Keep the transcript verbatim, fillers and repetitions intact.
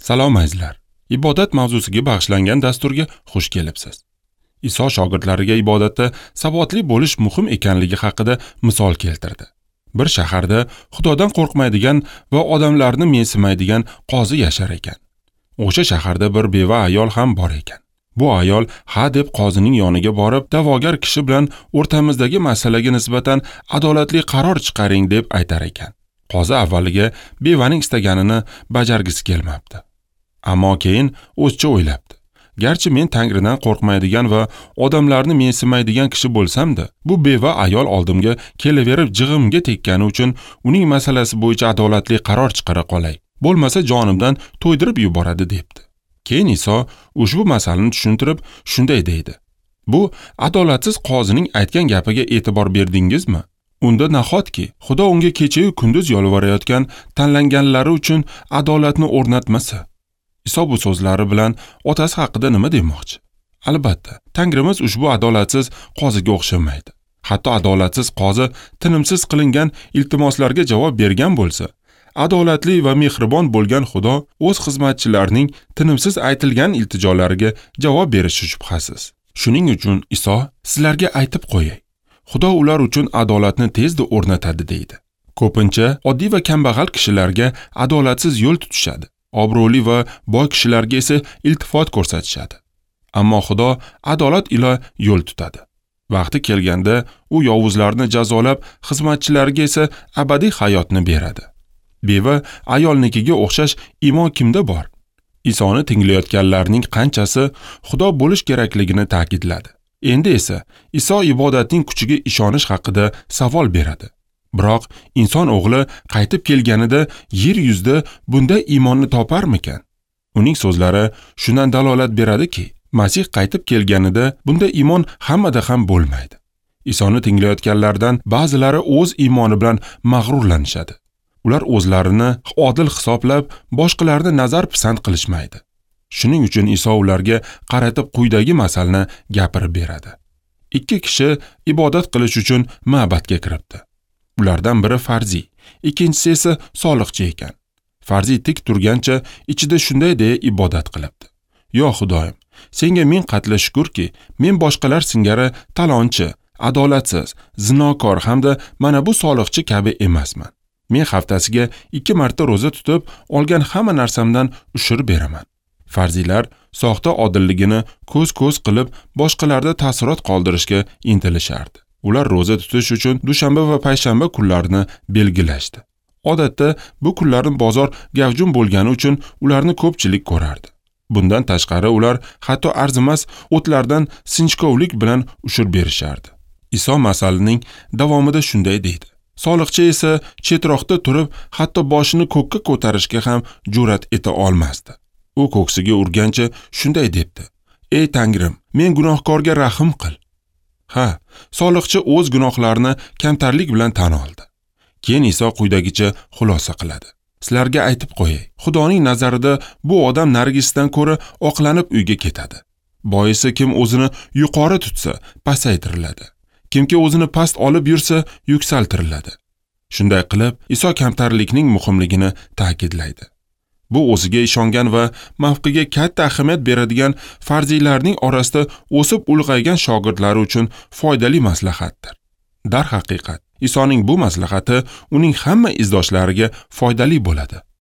Salom azizlar. Ibodat mavzusiga bag'ishlangan dasturga xush kelibsiz. Iso shogirdlariga ibodatda sabotli bo'lish muhim ekanligi haqida misol keltirdi. Bir shaharda Xudodan qo'rqmaydigan va odamlarni mensimaydigan qozi yashar ekan. O'sha shaharda bir beva ayol ham bor ekan. Bu ayol ha deb qozining yoniga borib, da'vogar kishi bilan o'rtamizdagi masalaga nisbatan adolatli qaror chiqaring deb aytar ekan. Qozi avvaliga bevaning istaganini bajargisi kelmabdi. Ammo keyin o'zicha o'ylabdi. Garchi men Tangridan qo'rqmaydigan va odamlarni mensimaydigan kishi bo'lsam-da, bu beva ayol oldimga kelaverib jig'imga tekkani uchun uning masalasi bo'yicha adolatli qaror chiqara qolay. Bo'lmasa jonimdan to'ydirib yuboradi debdi. Keyin Iso ushbu masalani tushuntirib shunday deydi. Bu adolatsiz qozining aytgan gapiga e'tibor berdingizmi? Unda nahotki Xudo unga kecha-yu kunduz yolvorayotgan tanlanganlari uchun adolatni o'rnatmasa? Iso bu so'zlari bilan otasi haqida nima demoqchi? Albatta, Tangrimiz ushbu adolatsiz qoziga o'xshamaydi. Hatto adolatsiz qozi tinimsiz qilingan iltimoslarga javob bergan bo'lsa, adolatli va mehribon bo'lgan Xudo o'z xizmatchilarining tinimsiz aytilgan iltijolariga javob berishi shubhasiz. Shuning uchun Iso sizlarga aytib qo'yay, Xudo ular uchun adolatni tezda o'rnatadi deydi. Ko'pincha oddiy va kambag'al kishilarga adolatsiz yo'l tutishadi. Obro'li va boy kishilarga esa iltifot ko'rsatishadi. Ammo Xudo adolat ila yo'l tutadi. Vaqti kelganda u yovuzlarni jazolab, xizmatchilariga esa abadiy hayotni beradi. Beva ayolnikiga o'xshash iymon kimda bor? Isoni tinglayotganlarning qanchasi Xudo bo'lish kerakligini ta'kidladi. Endi esa Iso ibodatning kuchiga ishonish haqida savol beradi. Biroq inson o'g'li qaytib kelganida yer yuzida bunday iymonni toparmikan? Uning so'zlari shundan dalolat beradiki, Masih qaytib kelganida bunday iymon hammada ham bo'lmaydi. Isoni tinglayotganlardan ba'zilari o'z iymoni bilan mag'rurlanishadi. Ular o'zlarini odil hisoblab, boshqalarni nazar pisand qilishmaydi. Shuning uchun Iso ularga qaratib quyidagi masalni gapirib beradi. Ikki kishi ibodat qilish uchun ma'batga kiribdi. Ulardan biri farziy, ikkinchisi esa soliqchi ekan. Farziy tik turgancha ichida shunday deya ibodat qilibdi. Yo Xudoyim, senga ming qatla shukurki, men boshqalar singari talonchi, adolatsiz, zinokor hamda mana bu soliqchi kabi emasman. Men haftasiga ikki marta ro'za tutib, olgan hamma narsamdan ushur beraman. Farziylar soxta odilligini ko'z-ko'z qilib, boshqalarda ta'sirot qoldirishga intilishardi. Ular ro'za tutish uchun dushanba va payshanba kunlarini belgilashdi. Odatda bu kunlarni bozor gavjum bo'lgani uchun ularni ko'pchilik ko'rardi. Bundan tashqari ular hatto arzimas o'tlardan sinchkovlik bilan ushur berishardi. Iso masalining davomida shunday deydi. Soliqchi esa chetroqda turib, hatto boshini ko'kka ko'tarishga ham jur'at eta olmasdi. U ko'ksiga urgancha shunday debdi: "Ey Tangrim, men gunohkorga rahim qil." Ha, soliqchi o'z gunohlarini kamtarlik bilan tan oldi. Keyin Iso quyidagicha xulosa qiladi. Sizlarga aytib qo'yay, Xudoning nazarida bu odam narigisidan ko'ra oqlanib uyga ketadi. Boisi kim o'zini yuqori tutsa, pasaytiriladi. Kimki o'zini past olib yursa, yuksaltiriladi. Shunday qilib, Iso kamtarlikning muhimligini ta'kidlaydi. Bu o'ziga ishongan va mavqiga katta ahamiyat beradigan farziylarning orasida o'sib ulg'aygan shogirdlari uchun foydali maslahatdir. Darhaqiqat, Isoning bu maslahati uning hamma izdoshlariga foydali bo'ladi.